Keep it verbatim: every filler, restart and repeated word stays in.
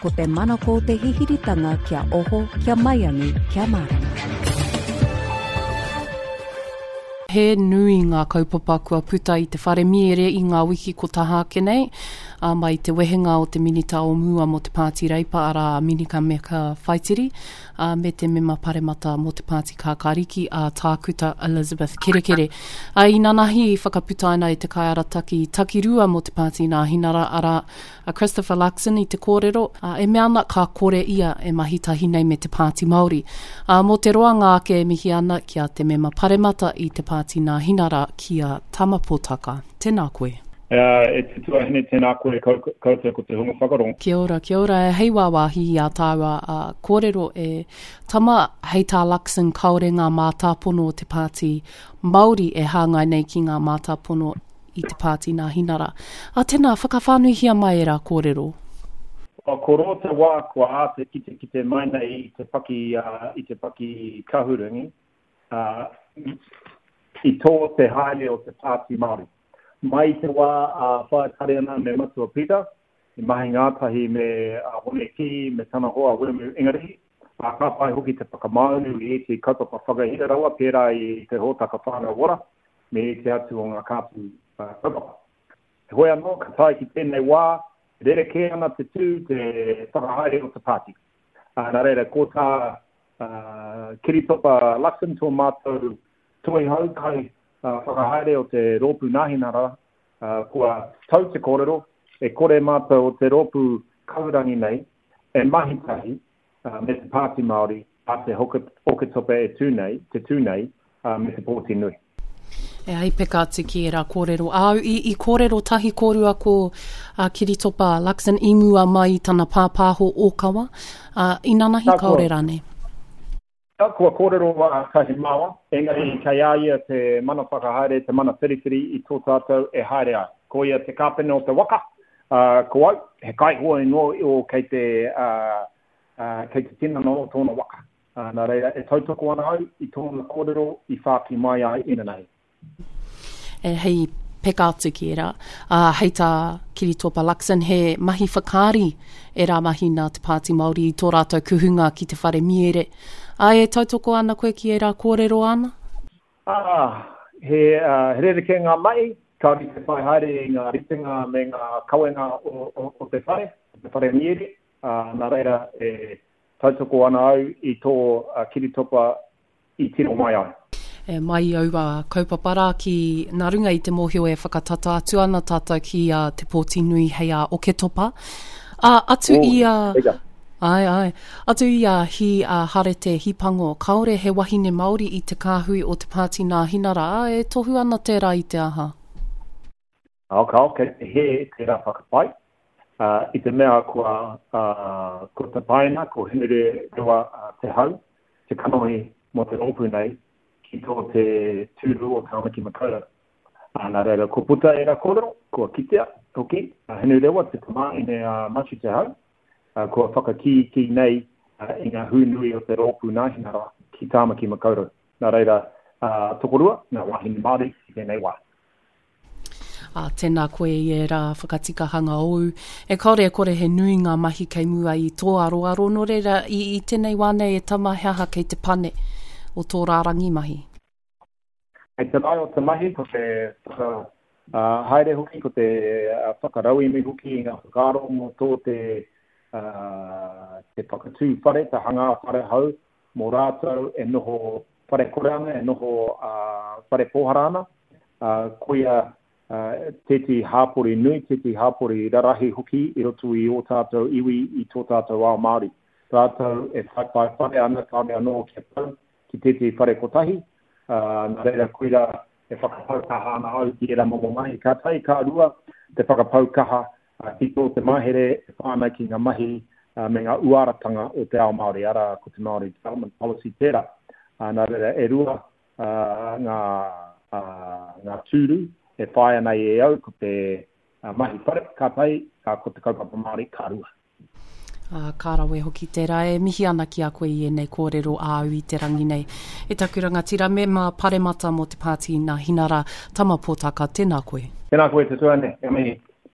Ko te manako o te hihiritanga kia oho, kia maiangi, kia mārama. He nui ngā kaupapa kua puta i te whare miere i ngā wiki ko taha ake nei, ā, mai te wehenga o te minita o mua mō te Pāti Reipa, arā a Minika Meka Whaitiri, ā, me te mema paremata mō te Pāti Kākāriki, a Tākuta Elizabeth Kerekere. Ā, inanahi i whakaputaina e te kaiarataki takirua mō te Pāti Nāhinara, arā, a Christopher Luxon i te kōrero, ā, e mea ana ka kore ia e mahi tahi nei me te Pāti Māori. Ā, mō te roanga ake e mihi ana ki a te mema paremata i te Pāti Nāhinara ki a Tama Potaka. Tēnā koe. E te tuahine, tēnā koe koutou ko te hunga whakarongo. Kia ora, kia ora. Hei wāwāhi i ā tāua kōrero e Tama, hei tā Luxon kāore ngā mātāpono o te Pāti Māori e hāngai nei ki ngā mātāpono i te Pāti Nāhinara. Ā, tēnā, whakawhānuihia mai ērā kōrero. Kua koro te wā kua āta kitekite mai nei i te paki, i te paki kahurangi, ā, i tō te haere o te Pāti Māori. Mai i te wā a Whaea Tariana me Matua Peter, i mahi ngātahi me Hone Kī me tana hoa Wiremu Ingarihi, ā, ka pai hoki te whakamāunu i ētehi kaupapa whakahira rawa pērā i te hōtaka Whānau Ora me ētehi atu o ngā kāpu kaupapa. Heoi anō, ka tae ki tēnei wā, rerekē ana te tū, te whakahaere o te pāti. Nā reira, ko tā Kiritopa Luxon, tō mātou toihau kai whakahaere o te Rōpū Nāhinara, kua tau te kōrero, e kore mātou o te rōpū kahurangi nei e mahi tahi me te Pāti Māori a te Oketopa e tū nei, te tū nei me te pōti nui. E ai peka atu ki ērā kōrero āu. I, i kōrero tahi kōrua ko a Kiritopa Luxon i mua mai i tana pāpāho ōkawa, ā, inanahi kāore rānei? Kua kōrero a Tahi Māua, engari kei a ia te mana whakahaere, te mana whiriwhiri i tō tātou e haere ai. Ko ia te kāpene o te waka, ā, ko au, he kaihoe noa iho kei te, ā, ā, kei te tinana o tōna waka. Ā, nā reira, e tautoko ana au i tōna kōrero i whāki mai ai inanahi. E, hei peka atu ki ērā. Ā, hei tā Kiritopa Luxon, he mahi whakaari ērā mahi nā te Pāti Māori i tō rātou kuhunga ki te whare miere. Ā, e tautoko ana koe ki ērā kōrero āna? Ā, he, ā, he rerekē ngā mahi, kāore i te whai haere i ngā ritenga me ngā kawenga o, o, o te whare, o te whare miere, ā, nā reira e tautoko ana au i tō Kiritopa i tiro mai ai. E mai i aua kaupapa rā ki, nā runga i te mōhio e whakatata atu ana tātou ki a Te Pōti Nui hei a Oketopa. Ā, atu i a... Āe, āe. Atu i a Hi a Harete Hipango, kāore he wahine Māori i te kāhui o te Pāti Nāhinara, ā, e tohu ana tērā i te aha? Ao, kao, kei te hē tērā whakapae, ā, i te mea kua, ā, kua tapaina, ko Henere Rewa Te Hau, te kanohi mō te rōpū nei, ki tō te tūru o Tāmaki Makaurau. Ā, nā reira, kua puta ērā kōrero, kua kitea hoki a Hinurewa, te tamāhine a Matiu Te Hau, ā, kua whakakīkī nei i ngā hū nui o te rōpū Nāhinara ki Tāmaki Makaurau. Nā reira, ā, tokorua ngā wāhine Māori i tēnei wā. Ā, tēnā koe i ērā whakatikahanga ōu. E kāore e kore he nui ngā mahi kei mua i tō aroaro, nō reira, i, i tēnei wā nei e tama, he aha kei te pane o tō rārangi mahi? Kei te rae o te mahi, ko te whakahaere hoki, ko te whakarauemi hoki i ngā whakaaro mō tō te, te whakatū whare, te hangā whare hou mō rātou e noho whare kore ana, e noho whare pōhara ana, koia tētehi hāpori nui, tētehi hāpori rarahi hoki i roto i ō tātou iwi, i tō tātou ao Māori. Rātou e whaiwhai whare ana, kāore anō kia tau ki tētehi whare kotahi, nā reira koirā e whakapau kaha ana au ki ērā momo mahi. Ka tahi, ka rua, te whakapau kaha ki tō te mahere e pā ana ki ngā mahi me ngā uaratanga o te ao Māori, arā, ko te Māori Development Policy tērā. Nā reira, e rua ngā, ngā tūru e whāia nei e au, ko te mahi whare, ka tahi, ko te kaupapa Māori, ka rua. Ā, ka rawe hoki tērā. E mihi ana ki a koe i ēnei kōrero āu i te rangi nei. E taku rangatira, mema paremata mō te Pāti Nāhinara, Tama Potaka, tēnā koe. Tēnā koe te tuahine, e mihi.